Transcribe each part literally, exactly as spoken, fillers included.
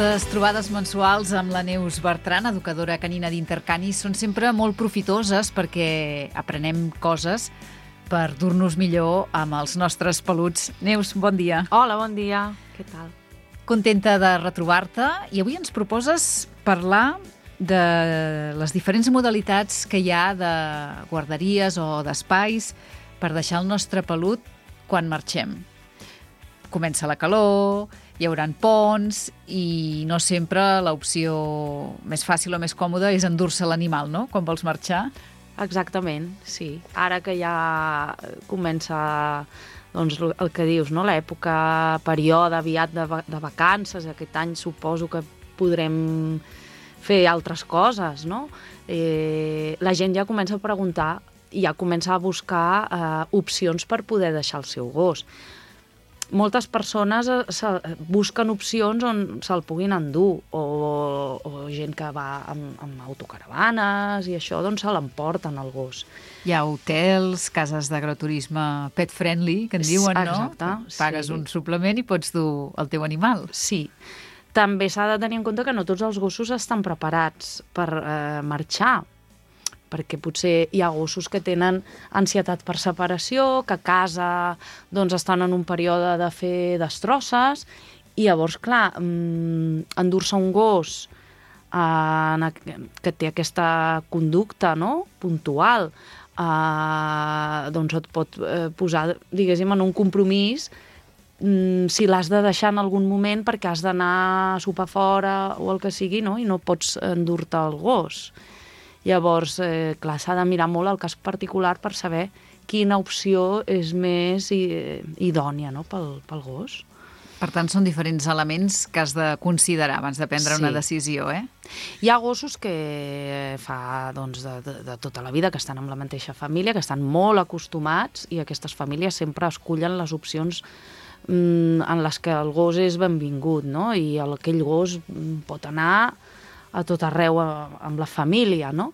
Aquestes trobades mensuals amb la Neus Bertran, educadora canina d'Intercanis, són sempre molt profitoses perquè aprenem coses per dur-nos millor amb els nostres peluts. Neus, bon dia. Hola, bon dia. Què tal? Contenta de retrobar-te i avui ens proposes parlar de les diferents modalitats que hi ha de guarderies o d'espais per deixar el nostre pelut quan marxem. Comença la calor, hi haurà ponts i no sempre l'opció més fàcil o més còmoda és endur-se l'animal, no?, quan vols marxar. Exactament, sí. Ara que ja comença doncs, el que dius, no?, l'època, període aviat de, de vacances, aquest any suposo que podrem fer altres coses, no? Eh, la gent ja comença a preguntar i ja comença a buscar eh, opcions per poder deixar el seu gos. Moltes persones busquen opcions on se'l puguin endur, o, o gent que va amb, amb autocaravanes i això, doncs se l'emporten el gos. Hi ha hotels, cases d'agroturisme pet friendly, que en diuen, no? Exacte, pagues sí. un suplement i pots dur el teu animal. Sí. També s'ha de tenir en compte que no tots els gossos estan preparats per eh, marxar, perquè potser hi ha gossos que tenen ansietat per separació, que a casa doncs, estan en un període de fer destrosses, i llavors, clar, endur-se un gos eh, que té aquesta conducta, no?, puntual, eh, doncs et pot eh, posar, diguéssim, en un compromís mm, si l'has de deixar en algun moment perquè has d'anar a sopar fora o el que sigui, no?, i no pots endur-te el gos. Llavors, eh, clar, s'ha de mirar molt el cas particular per saber quina opció és més idònia, no?, pel, pel gos. Per tant, són diferents elements que has de considerar abans de prendre Sí. una decisió, eh? Hi ha gossos que fa doncs, de, de, de tota la vida, que estan amb la mateixa família, que estan molt acostumats, i aquestes famílies sempre escullen les opcions mm, en les que el gos és benvingut, no?, i el, aquell gos pot anar a tot arreu amb la família, no?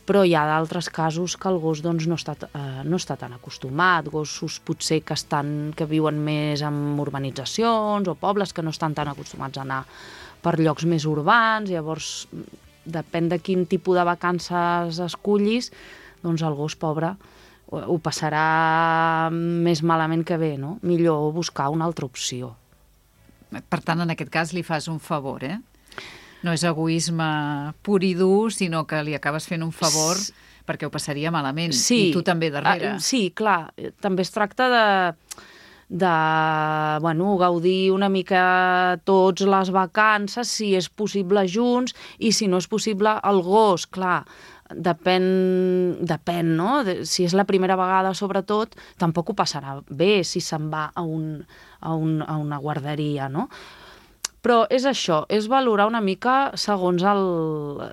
Però hi ha d'altres casos que el gos doncs, no, està, eh, no està tan acostumat, gossos potser que, estan, que viuen més en urbanitzacions o pobles que no estan tan acostumats a anar per llocs més urbans, llavors depèn de quin tipus de vacances escullis, doncs el gos pobre ho passarà més malament que bé, no? Millor buscar una altra opció. Per tant, en aquest cas li fas un favor, eh? No és egoisme pur i dur, sinó que li acabes fent un favor S perquè ho passaria malament. Sí. I tu també darrere. Uh, sí, clar. També es tracta de, de bueno, gaudir una mica tots les vacances, si és possible junts, i si no és possible el gos, clar, depèn, depèn, no? Si és la primera vegada, sobretot, tampoc ho passarà bé si se'n va a, un, a, un, a una guarderia, no? Però és això, és valorar una mica segons, el,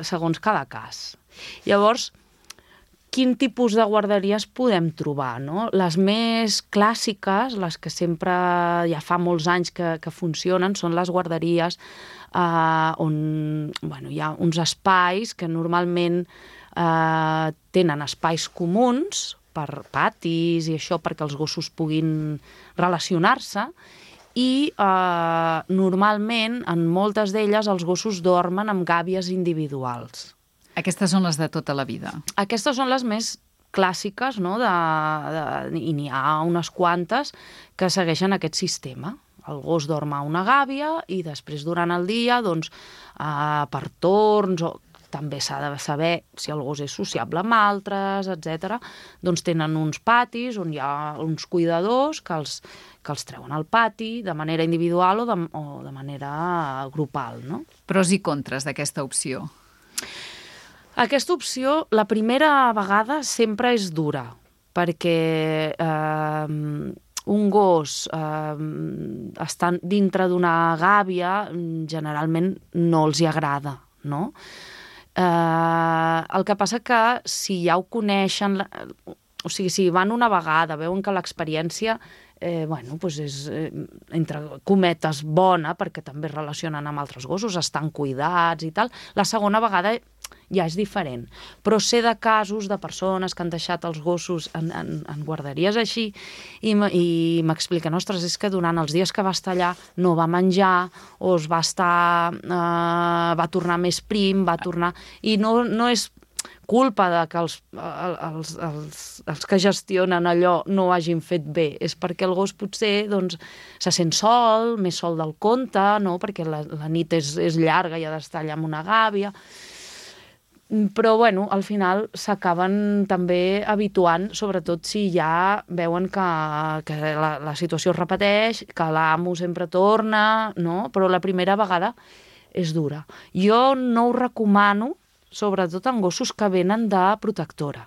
segons cada cas. Llavors, quin tipus de guarderies podem trobar, no? Les més clàssiques, les que sempre ja fa molts anys que, que funcionen, són les guarderies eh, on bueno, hi ha uns espais que normalment eh, tenen espais comuns per patis i això perquè els gossos puguin relacionar-se, i eh, normalment en moltes d'elles els gossos dormen amb gàbies individuals. Aquestes són les de tota la vida. Aquestes són les més clàssiques, no? de, de, i n'hi ha unes quantes que segueixen aquest sistema. El gos dorm a una gàbia i després durant el dia, doncs, eh, per torns, o també s'ha de saber si el gos és sociable amb altres, etcètera. Doncs tenen uns patis on hi ha uns cuidadors que els, que els treuen al pati de manera individual o de, o de manera grupal, no? Pros i contres d'aquesta opció. Aquesta opció, la primera vegada sempre és dura, perquè eh, un gos eh, estant dintre d'una gàbia generalment no els hi agrada, no? Uh, el que passa que si ja ho coneixen, o sigui, si van una vegada, veuen que l'experiència eh, bueno, doncs és, eh, entre cometes, bona, perquè també es relacionen amb altres gossos, estan cuidats i tal, la segona vegada ja és diferent. Però sé de casos de persones que han deixat els gossos en, en, en guarderies així i m'expliquen, ostres, és que durant els dies que va estar allà no va menjar o es va estar... Eh, va tornar més prim, va tornar... I no, no és culpa de que els, els, els, els que gestionen allò no ho hagin fet bé. És perquè el gos potser doncs, se sent sol, més sol del compte, no? Perquè la, la nit és, és llarga i ha d'estar allà amb una gàbia. Però, bueno, al final s'acaben també habituant, sobretot si ja veuen que, que la, la situació es repeteix, que l'amo sempre torna, no? Però la primera vegada és dura. Jo no ho recomano, sobretot en gossos que venen de protectora.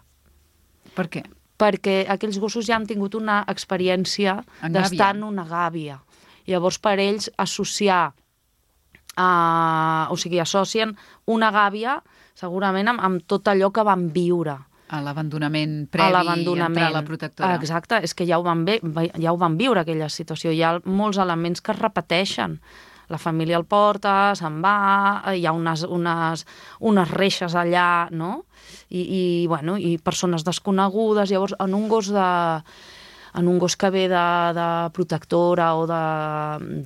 Per què? Perquè aquells gossos ja han tingut una experiència d'estar en una gàbia. Llavors, per ells, associar, uh, o sigui, associen una gàbia segurament amb, amb tot allò que van viure. A l'abandonament previ a entrar a la protectora. Exacte, és que ja ho van, ve, ja ho van viure, aquella situació. Hi ha molts elements que es repeteixen. La família el porta, se'n va, hi ha unes, unes, unes reixes allà, no? I, i, bueno, i persones desconegudes. Llavors, en un gos de... en un gos que ve de, de protectora o de,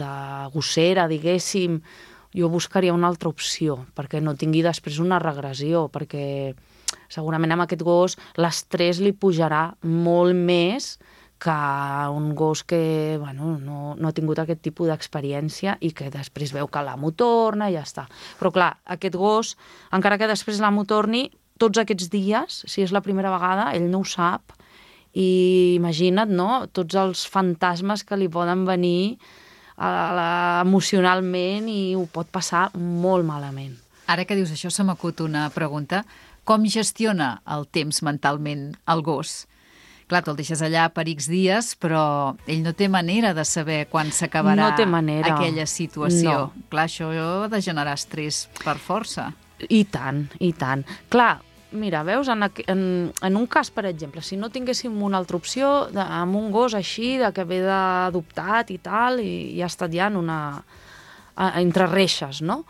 de gossera, diguéssim, jo buscaria una altra opció, perquè no tingui després una regressió, perquè segurament amb aquest gos l'estrès li pujarà molt més que un gos que bueno, no, no ha tingut aquest tipus d'experiència i que després veu que l'amo torna i ja està. Però clar, aquest gos, encara que després l'amo torni, tots aquests dies, si és la primera vegada, ell no ho sap. I imagina't, no?, tots els fantasmes que li poden venir a la, emocionalment i ho pot passar molt malament. Ara que dius això, se m'acut una pregunta. Com gestiona el temps mentalment el gos? Clar, te'l deixes allà per X dies, però ell no té manera de saber quan s'acabarà no aquella situació. No. Clar, això ha de generar estrès per força. I tant, i tant. Clar, mira, veus, en, en, en un cas, per exemple, si no tinguéssim una altra opció, de, amb un gos així, de que ve d'adoptat i tal, i, i ha estat ja en una... A, entre reixes, no?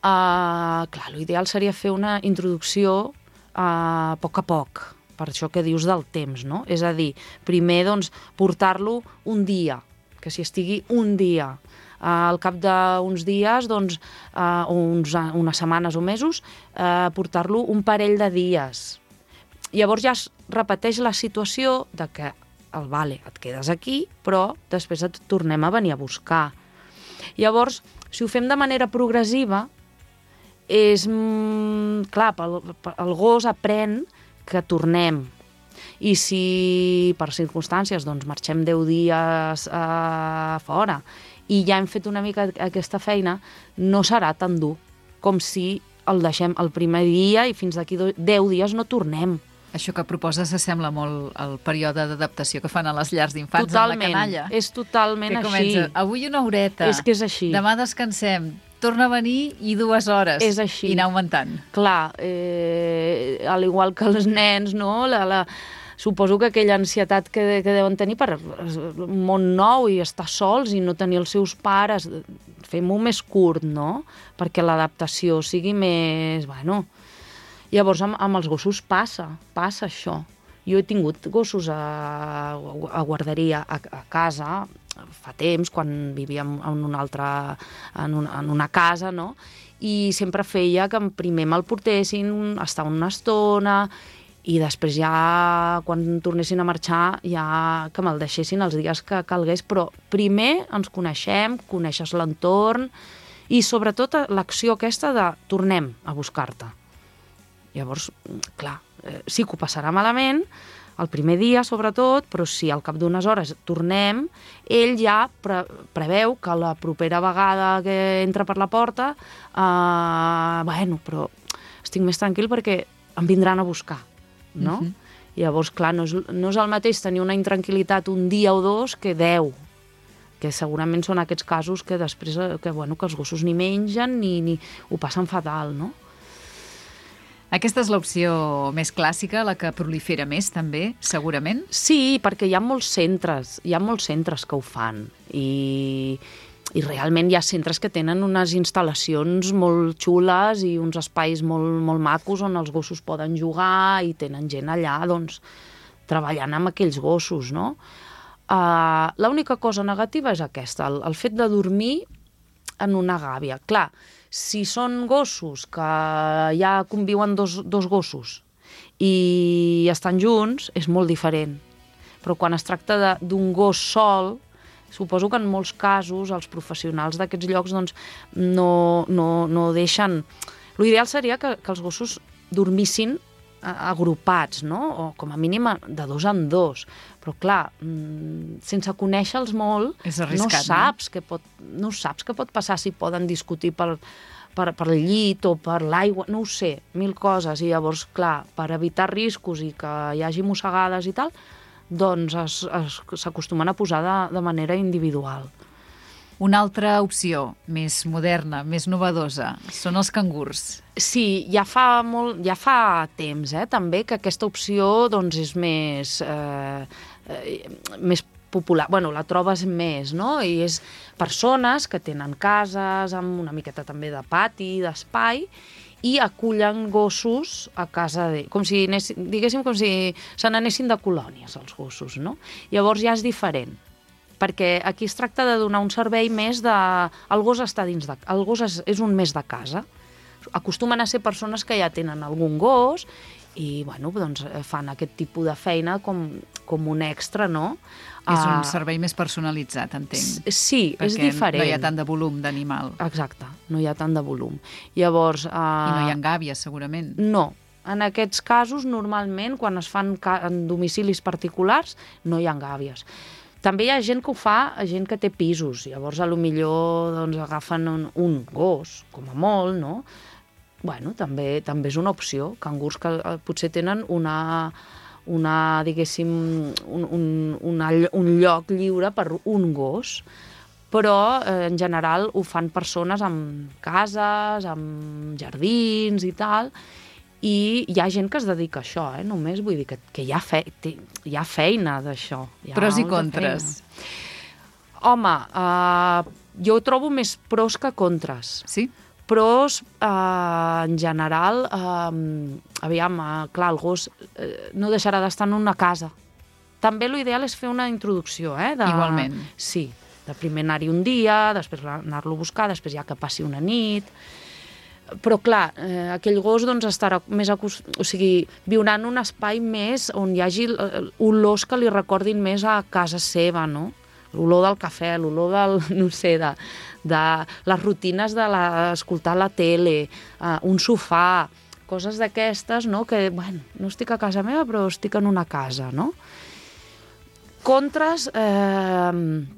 Uh, clar, l'ideal seria fer una introducció a poc a poc, per això que dius del temps, no? És a dir, primer, doncs, portar-lo un dia, que s'hi estigui un dia. Uh, al cap d'uns dies, doncs, uh, o uns, uh, unes setmanes o mesos, uh, portar-lo un parell de dies. Llavors ja es repeteix la situació de que, el vale, et quedes aquí, però després et tornem a venir a buscar. Llavors, si ho fem de manera progressiva, és, mm, clar, el, el gos aprèn que tornem. I si per circumstàncies doncs, marxem deu dies a fora i ja hem fet una mica aquesta feina, no serà tan dur com si el deixem el primer dia i fins d'aquí deu dies no tornem. Això que proposes s'assembla molt al període d'adaptació que fan a les llars d'infants totalment, amb la canalla. És totalment que així. Comença, avui una horeta, és que és així. Demà descansem, torna a venir i dues hores. És així. I anar augmentant. Clar, eh, al igual que els nens, no? La, la, suposo que aquella ansietat que, que deuen tenir per un món nou i estar sols i no tenir els seus pares, fem-ho més curt, no? Perquè l'adaptació sigui més... Bueno, llavors amb, amb els gossos passa, passa això. Jo he tingut gossos a, a guarderia, a, a casa, fa temps, quan vivíem en una altra, en una, en una casa, no? I sempre feia que primer me'l portessin, estar una estona, i després ja, quan tornessin a marxar, ja que me'l deixessin els dies que calgués, però primer ens coneixem, coneixes l'entorn, i sobretot l'acció aquesta de tornem a buscar-te. Llavors, clar, eh, sí que ho passarà malament, el primer dia sobretot, però si al cap d'unes hores tornem, ell ja pre preveu que la propera vegada que entra per la porta, eh, bueno, però estic més tranquil perquè em vindran a buscar, no? Uh-huh. Llavors, clar, no és, no és el mateix tenir una intranquil·litat un dia o dos que deu, que segurament són aquests casos que després que, bueno, que els gossos ni mengen ni, ni ho passen fatal, no? Aquesta és l'opció més clàssica, la que prolifera més també, segurament? Sí, perquè hi ha molts centres, hi ha molts centres que ho fan i, i realment hi ha centres que tenen unes instal·lacions molt xules i uns espais molt, molt macos on els gossos poden jugar i tenen gent allà, doncs, treballant amb aquells gossos, no? Uh, l'única cosa negativa és aquesta, el, el fet de dormir en una gàbia. Clar, si són gossos que ja conviuen dos, dos gossos i estan junts, és molt diferent. Però quan es tracta d'un gos sol, suposo que en molts casos els professionals d'aquests llocs doncs, no, no, no deixen... L'ideal seria que, que els gossos dormissin agrupats, no? O com a mínim de dos en dos. Però clar, sense conèixer-los molt, arriscat, no saps no? Què pot, no saps què pot passar, si poden discutir per, per, per el llit o per l'aigua, no ho sé, mil coses. I llavors, clar, per evitar riscos i que hi hagi mossegades i tal, doncs s'acostumen a posar de, de manera individual. Una altra opció, més moderna, més novedosa, són els cangurs. Sí, ja fa, molt, ja fa temps, eh, també, que aquesta opció doncs, és més, eh, eh, més popular. Bueno, la trobes més, no? I és persones que tenen cases amb una miqueta també de pati, d'espai, i acullen gossos a casa de... Com si, diguéssim, com si se n'anessin de colònies, els gossos, no? Llavors ja és diferent, perquè aquí es tracta de donar un servei més de... El gos està dins de... El gos és, és un més de casa. Acostumen a ser persones que ja tenen algun gos i, bueno, doncs fan aquest tipus de feina com, com un extra, no? És un servei més personalitzat, entenc. Sí, és diferent. No hi ha tant de volum d'animal. Exacte, no hi ha tant de volum. Llavors... Uh... I no hi ha gàbies, segurament. No. En aquests casos, normalment, quan es fan en domicilis particulars, no hi ha gàbies. També hi ha gent que ho fa, gent que té pisos. Llavors, a lo millor doncs, agafen un, un gos, com a molt, no? Bueno, també, també és una opció. Cangurs que eh, potser tenen una, una diguéssim, un, un, una, un lloc lliure per un gos, però eh, en general ho fan persones amb cases, amb jardins i tal, i hi ha gent que es dedica a això, eh? Només vull dir que, que hi, ha fe, hi ha feina d'això. Pros i contres. Home, eh, jo trobo més pros que contres. Sí? Pros, eh, en general, eh, aviam, eh, clar, el gos eh, no deixarà d'estar en una casa. També l'ideal és fer una introducció, eh? De, igualment. Sí, de primer anar-hi un dia, després anar-lo a buscar, després ja que passi una nit... Però, clar, eh, aquell gos doncs, estarà més acost... o sigui, viurà en un espai més on hi hagi olors que li recordin més a casa seva, no? L'olor del cafè, l'olor del, no sé, de, de les rutines d'escoltar la, la tele, eh, un sofà, coses d'aquestes, no? Que, bueno, no estic a casa meva, però estic en una casa, no? Contres... Eh,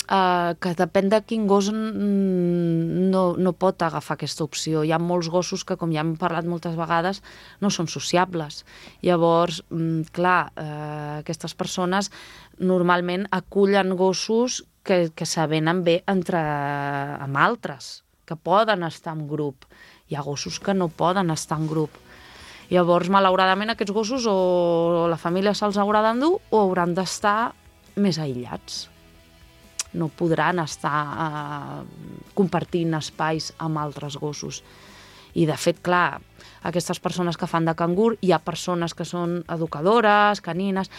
Uh, que depèn de quin gos no, no pot agafar aquesta opció. Hi ha molts gossos que, com ja hem parlat moltes vegades, no són sociables. Llavors, mm, clar, uh, aquestes persones normalment acullen gossos que, que s'avenen bé entre, amb altres, que poden estar en grup. Hi ha gossos que no poden estar en grup. Llavors, malauradament, aquests gossos o la família se'ls haurà d'endur o hauran d'estar més aïllats. No podran estar eh, compartint espais amb altres gossos. I, de fet, clar, aquestes persones que fan de cangur, hi ha persones que són educadores, canines,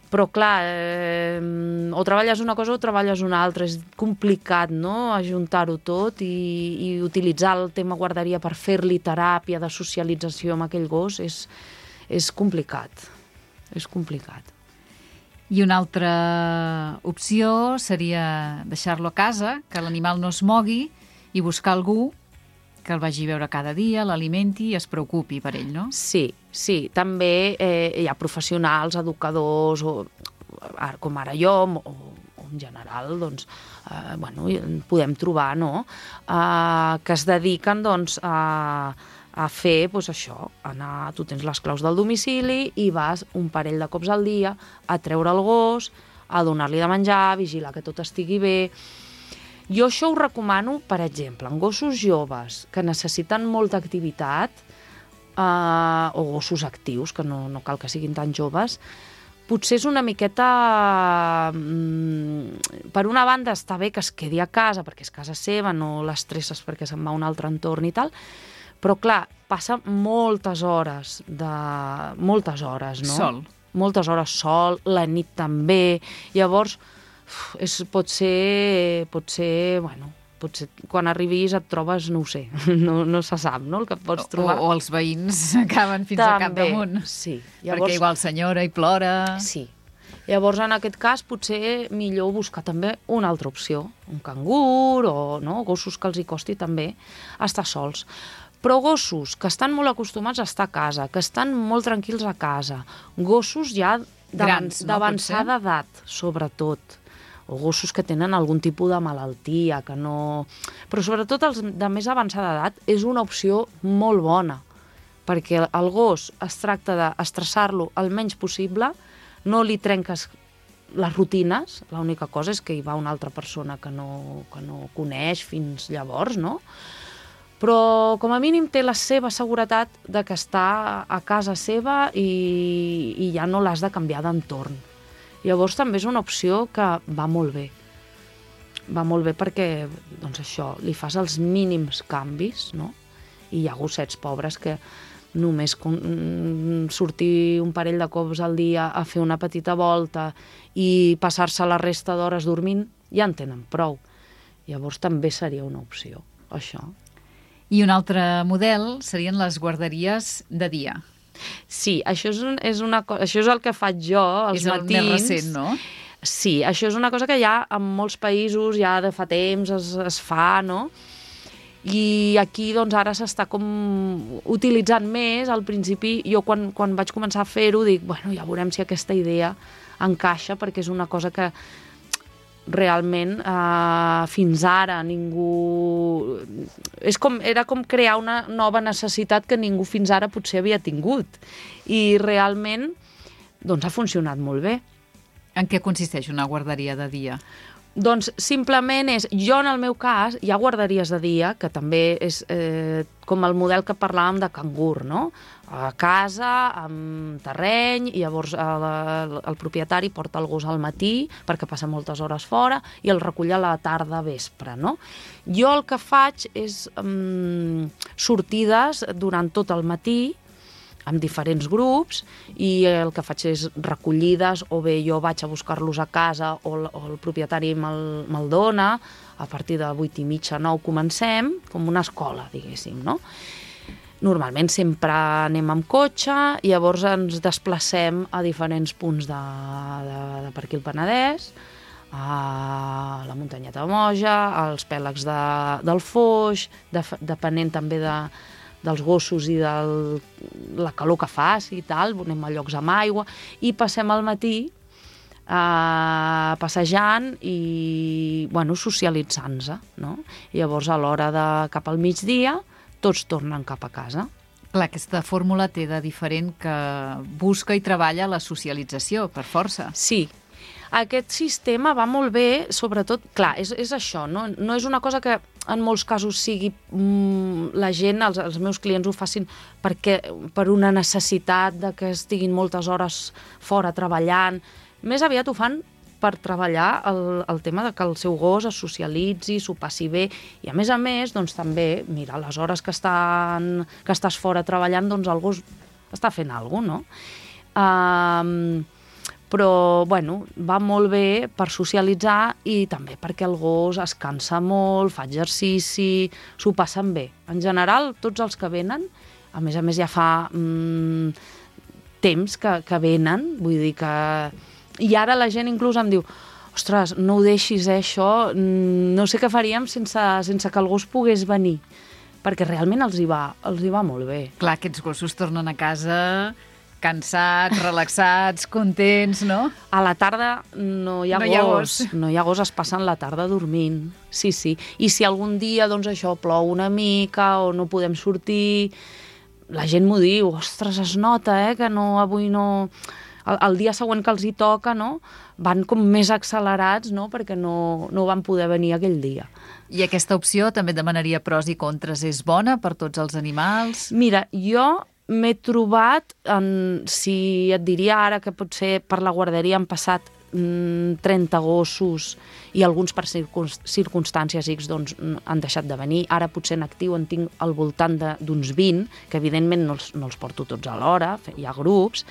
però, clar, eh, o treballes una cosa o treballes una altra. És complicat, no?, ajuntar-ho tot i, i utilitzar el tema guarderia per fer-li teràpia de socialització amb aquell gos és, és complicat. És complicat. I una altra opció seria deixar-lo a casa, que l'animal no es mogui i buscar algú que el vagi a veure cada dia, l'alimenti i es preocupi per ell, no? Sí, sí. També eh, hi ha professionals, educadors, o, com ara jo, o, o en general, doncs, eh, bueno, podem trobar, no?, eh, que es dediquen, doncs, a... a fer, doncs això, anar, tu tens les claus del domicili i vas un parell de cops al dia a treure el gos, a donar-li de menjar, a vigilar que tot estigui bé. Jo això ho recomano, per exemple, en gossos joves que necessiten molta activitat, eh, o gossos actius, que no, no cal que siguin tan joves, potser és una miqueta... Mm, per una banda està bé que es quedi a casa, perquè és casa seva, no l'estresses perquè se'n va a un altre entorn i tal, però clar, passa moltes hores, de... moltes hores, no? Sol. Moltes hores sol, la nit també, llavors uf, és, pot ser, pot ser, bueno, potser quan arribis et trobes, no ho sé, no, no se sap, no?, el que et pots trobar. O, o els veïns acaben fins també, al capdamunt. Sí. Llavors... Perquè igual senyora i plora... Sí. Llavors, en aquest cas, potser millor buscar també una altra opció, un cangur o no, gossos que els hi costi també estar sols. Però gossos que estan molt acostumats a estar a casa, que estan molt tranquils a casa, gossos ja d'avançada no, edat, sobretot, o gossos que tenen algun tipus de malaltia, que no... Però sobretot els de més avançada edat és una opció molt bona, perquè el gos es tracta d'estressar-lo el menys possible, no li trenques les rutines, l'única cosa és que hi va una altra persona que no, que no coneix fins llavors, no? Però com a mínim té la seva seguretat de que està a casa seva i, i ja no l'has de canviar d'entorn. Llavors també és una opció que va molt bé. Va molt bé perquè, doncs això, li fas els mínims canvis, no? I hi ha gossets pobres que només sortir un parell de cops al dia a fer una petita volta i passar-se la resta d'hores dormint, ja en tenen prou. Llavors també seria una opció, això. I un altre model serien les guarderies de dia. Sí, això és, un, és, una, això és el que faig jo als és matins. És el més recent, no? Sí, això és una cosa que ja en molts països ja de fa temps es, es fa, no? I aquí doncs ara s'està com utilitzant més. Al principi, jo quan, quan vaig començar a fer-ho dic, bueno, ja veurem si aquesta idea encaixa, perquè és una cosa que realment eh, fins ara ningú... És com, era com crear una nova necessitat que ningú fins ara potser havia tingut. I realment doncs, ha funcionat molt bé. En què consisteix una guarderia de dia? Doncs simplement és, jo en el meu cas, hi ha guarderies de dia, que també és eh, com el model que parlàvem de cangur, no? A casa, amb terreny, i llavors el, el propietari porta el gos al matí perquè passa moltes hores fora i el recull a la tarda vespre, no? Jo el que faig és um, sortides durant tot el matí, amb diferents grups, i el que faig és recollides, o bé jo vaig a buscar-los a casa o el, o el propietari me'l, me'l dona, a partir de vuit i mitja, nou comencem, com una escola, diguéssim, no? Normalment sempre anem amb cotxe, i llavors ens desplacem a diferents punts de, de, de per aquí el Penedès, a la muntanyeta de Moja, als pèlags de, del Foix, de, depenent també de dels gossos i de la calor que faci i tal, anem a llocs amb aigua, i passem al matí eh, passejant i bueno, socialitzant-se, no? I llavors a l'hora de cap al migdia tots tornen cap a casa. Clar, aquesta fórmula té de diferent que busca i treballa la socialització, per força. Sí. Aquest sistema va molt bé, sobretot, clar, és, és això, no? No és una cosa que en molts casos sigui mm, la gent, els, els meus clients ho facin perquè, per una necessitat de que estiguin moltes hores fora treballant. Més aviat ho fan per treballar el, el tema de que el seu gos es socialitzi, s'ho passi bé, i a més a més, doncs també, mira, les hores que, estan, que estàs fora treballant, doncs el gos està fent alguna cosa, no? Um, però, bueno, va molt bé per socialitzar i també perquè el gos es cansa molt, fa exercici, s'ho passen bé. En general, tots els que venen, a més a més ja fa mm, temps que, que venen, vull dir que... I ara la gent inclús em diu, ostres, no ho deixis, eh, això, no sé què faríem sense, sense que el gos pogués venir, perquè realment els hi va, els hi va molt bé. Clar, aquests gossos tornen a casa cansats, relaxats, contents, no? A la tarda no hi ha, no gos, hi ha gos. No hi ha gos, es passen la tarda dormint. Sí, sí. I si algun dia, doncs això, plou una mica o no podem sortir, la gent m'ho diu, ostres, es nota, eh, que no, avui no... El, el dia següent que els hi toca, no?, van com més accelerats, no?, perquè no, no van poder venir aquell dia. I aquesta opció també demanaria pros i contres. És bona per tots els animals? Mira, jo m'he trobat, en, si et diria ara que potser per la guarderia han passat mm, trenta gossos i alguns per circumstàncies X doncs, han deixat de venir. Ara potser en actiu en tinc al voltant d'uns vint, que evidentment no els, no els porto tots alhora, hi ha grups.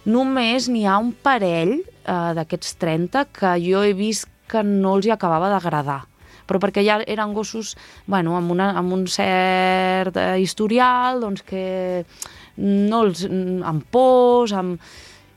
Només n'hi ha un parell eh, d'aquests trenta que jo he vist que no els hi acabava d'agradar, però perquè ja eren gossos bueno, amb, una, amb un cert eh, historial, doncs que no els, amb pors, amb,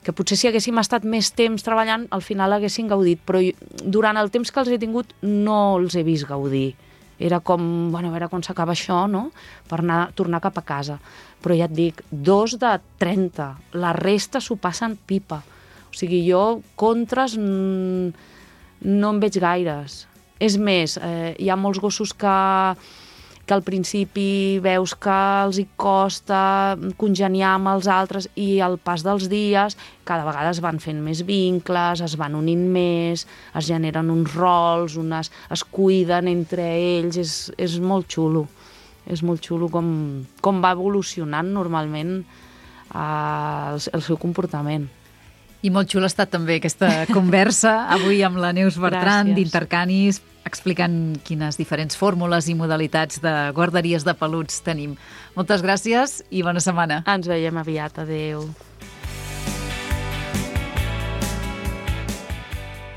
que potser si haguéssim estat més temps treballant, al final haguessin gaudit, però durant el temps que els he tingut no els he vist gaudir. Era com, bueno, a veure quan s'acaba això, no?, per anar, tornar cap a casa. Però ja et dic, dos de trenta, la resta s'ho passen pipa. O sigui, jo contres mm, no en veig gaires. És més, eh, hi ha molts gossos que, que al principi veus que els hi costa congeniar amb els altres i al pas dels dies cada vegada es van fent més vincles, es van unint més, es generen uns rols, unes, es cuiden entre ells, és, és molt xulo. És molt xulo com, com va evolucionant normalment eh, el, el seu comportament. I molt xula ha estat també aquesta conversa avui amb la Neus Bertran d'Intercanis, explicant quines diferents fórmules i modalitats de guarderies de peluts tenim. Moltes gràcies i bona setmana. Ens veiem aviat. Adéu.